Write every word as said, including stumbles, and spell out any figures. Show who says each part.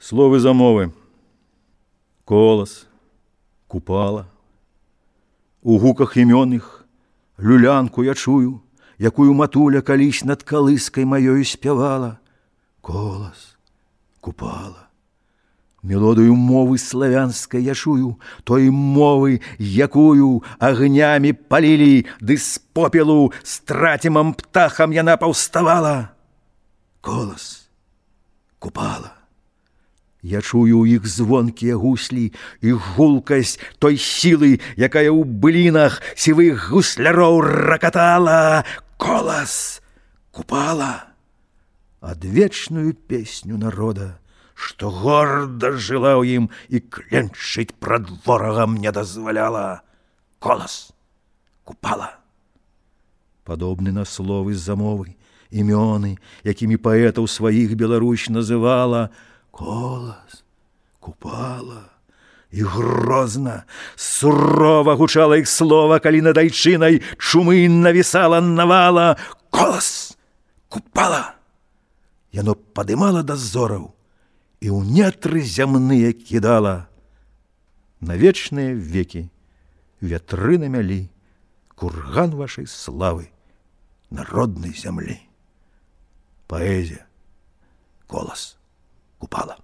Speaker 1: Словы замовы. Колас, купала. У гуках імённых люлянку я чую, якую матуля калісь над калыскай маёю спявала. Колас, купала. Мелодыю мовы славянскай я чую, той мовы, якую агнямі палілі, ды з попелу страцімам птахам яна паўставала. Колас, купала. Я чую ў іх звонкія гуслі і гулкасць той сілы, якая ў былінах сівых гусляроў ракатала. Колас, купала. Адвечную песню народа, што горда жыла ў ім і кленчыць прад ворагам не дазваляла. Колас, купала. Падобны на словы замовы, імёны, якімі паэтаў сваіх Беларусь называла. Колас, купала. І грозна, сурова гучала іх слова, калі над айчынай чумы навісала навала. Колас, купала. Яно падымала да зораў і ў нетры зямныя кідала. На вечныя векі вятры намялі курган вашай славы народнай зямлі. Паэзія, колас, купала.